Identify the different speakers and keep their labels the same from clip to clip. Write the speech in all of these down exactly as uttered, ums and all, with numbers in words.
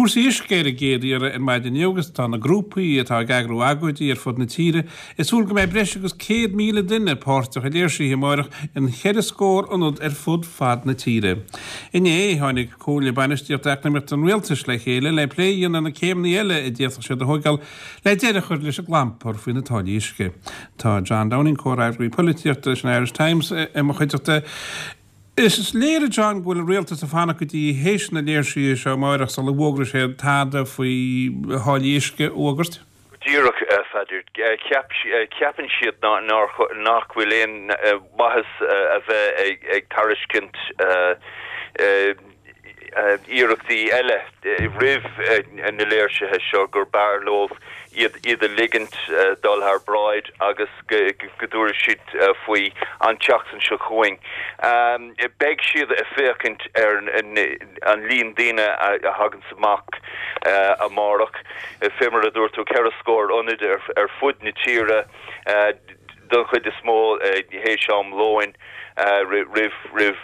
Speaker 1: Cúrsaí uisce ar an gcéad iarraidh ar maidin inniu agus tá na grúpaí atá ag eagrú agóidí ar fud na tíre ag súil go mbeidh breis agus céad míle duine páirteach i léirsithe amárach in cheithre scór ionad ar fud fad na tíre. Inné tháinig Comhairle Bainistíochta Eacnamaíochta an Rialtais le chéile le plé a dhéanamh ar na céimeanna eile a d'fhéadfadh siad a thógáil le deireadh a chur leis an gclampar faoi na táillí uisce. Tá John Downing comhfhreagraí polaitíochta leis an Irish Times i mo chuideachta. Is léir John go bhfuil an rialtas ag fanacht go dtí théis na léirsithe seo amárach sula bhfógróidh sé tada faoi tháillí uisce a fhógairt.
Speaker 2: Díreach Pheadair ceapann siad nach bhfuil aon mhaitheas a bheith ag tairiscint iarrachtaí eile roimh na léirsithe seo gur b'fhearr leo iad iad a ligint dul thar bráid agus go dtabharfaidh siad faoi an tseachtain seo chugainn. Beidh siad ag féachaint ar an líon daoine a thagann amach amárach, fé mar a dúirt tú ceithre scór ionad ar fud na tíre don chuid is mó théis am lóin. roimh roimh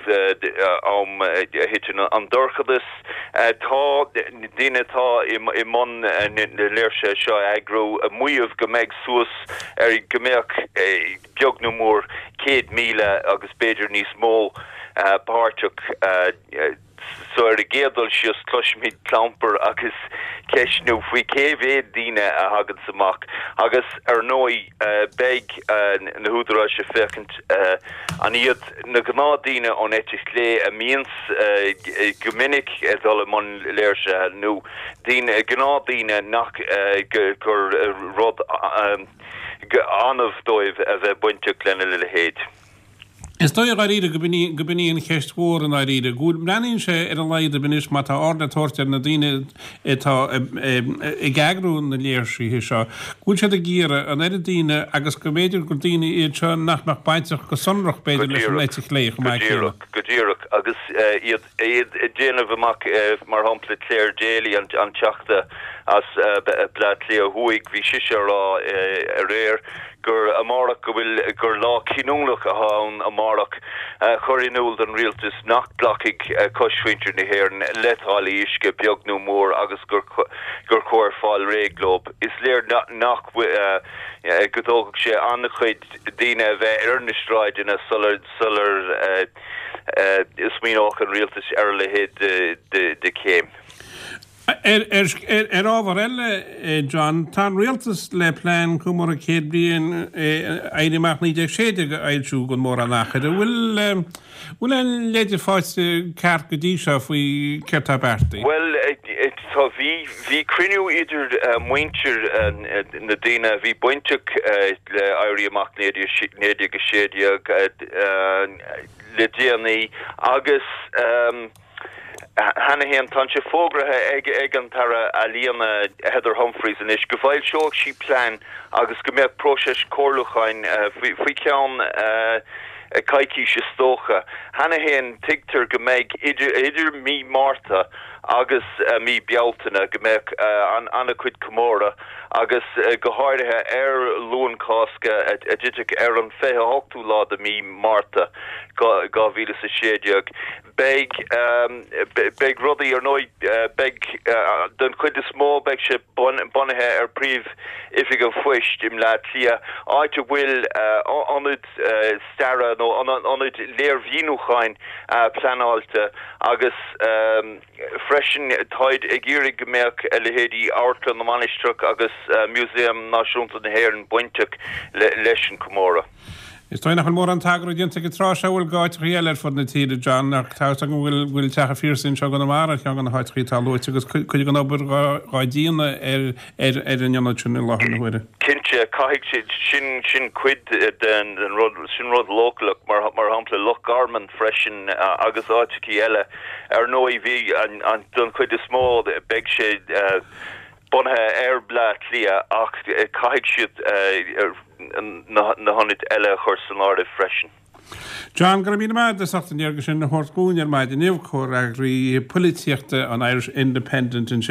Speaker 2: am a thiteann an dorchadas. Tá daoine atá i mbun na léirsithe seo a eagrú ag maíomh go mbeidh suas ar go mbeadh beag nó mór céad míle agus b'fhéidir níos mó páirteach So ar an gcéad dul síos cloisfimid clampar agus ceistniú faoi cé mhéad daoine a thaganns amach agus ar ndóigh beidh na húdaráis ag féachaint an iad na gnáthdhaoine ón eite chlé a mbíonns go minic ag dul i mbun léirsithe nó daoine gnáthdhaoine nach gur rud annamh dóibh a bheith bainteach lena leithéid.
Speaker 1: Is dóigh dháiríre go b'in í an cheist mhór i ndáiríre, go bhfuil, breathnaíonn sé ar a laghad anois má tá aird le tabhairt ar na daoine atá ag eagrú na léirsithe seo, go bhfuil siad ag iarraidh an oiread daoine agus go mb'fhéidir gur daoine iad seo nach mbeadh bainteach go sonrach b'fhéidir leis an eite chlé chomh maith
Speaker 2: céanna. Go díreach, go díreach agus iad iad ag déanamh amach mar shampla Clare Daly an Teachta as Bleá Cliath Thuaidh, bhí sise ag rá aréir gur amárach go bhfuil gur lá cinniúnach atá ann amárach a chur in iúl don rialtas nach nglacfaidh cosmhuintir na hÉireann le táillí uisce beag nó mór agus gur gur chóir fáil réidh leo. Is léir nach go dtógfadh sé an-chuid daoine a bheith ar na sráideanna sular sular smaoineodh an rialtas ar a leithéid de chéim.
Speaker 1: Ar ábhar eile, John, tá an rialtas le plean comóradh céad bliain Éirí Amach naoi déag sé déag a fhoilsiú gan mórán achair. An bhfuil bhfuil aon leide faighte ceart go dtí seo faoi céard tá beartaithe?
Speaker 2: Bhuel, tá bhí bhí cruinniú idir muintir na daoine a bhí bainteach le Éirí Amach naoi déag a sé déag le déanaí agus cheana féin tá sé fógraithe ag ag an tAire Ealaíona Heather Humphreys anois go bhfoilseoidh sí plean agus go mbeadh próiseas comhairliúcháin faoi faoi cheann coicís is dócha. Cheana féin tuigtear go mbeidh idir idir mí Márta agus mí Bealtaine go mbeadh an an-chuid comóradh agus go háirithe ar Luan Cásca a dtitfidh ar an fiche hochtú lá de mí Márta dhá mhíle is a sé déag. Beidh beidh rudaí ar ndóigh beidh den chuid is mó beidh sé bunaithe ar Príomh-Oifig an Phoist i mBleá Cliath, áit a bhfuil ionad staire nó ionad léirmhíniúcháin pleanáilte agus freisin táid ag iarraidh go mbeadh a leithéidí Amharclann na Mainistreach agus Músaem Náisiúnta na hÉireann bainteach leis an comóradh.
Speaker 1: Is dóigh nach bhfuil mórán tagartha déanta ag an tráth seo bhfuil d'áiteachaí eile ar fud na tíre, John, ach tá fhios agam go bhfuil go bhfuil Teach an Phiarsaigh anseo i gConamara ar cheann de na háiteachaí atá luaite agus cuid den obair dhá déanamh ar ar ar an ionad sin i láthair na huaire.
Speaker 2: Cinnte, caithfidh siad, sin sin cuid den den rud, sin rud leochaileach, mar mar shampla Loch Garman freisin agus áiteachaí eile. Ar ndóigh bhí an an don chuid is mó beidh sé bunaithe ar Bleá Cliath ach caithfidh siad na hionaid eile a chur san áireamh freisin.
Speaker 1: John, go raibh míle maith agat as ucht an léargas sin a thabhairt dhúinn ar maidin inniu, comhfhreagraí polaitíochta an Irish Independent ansin.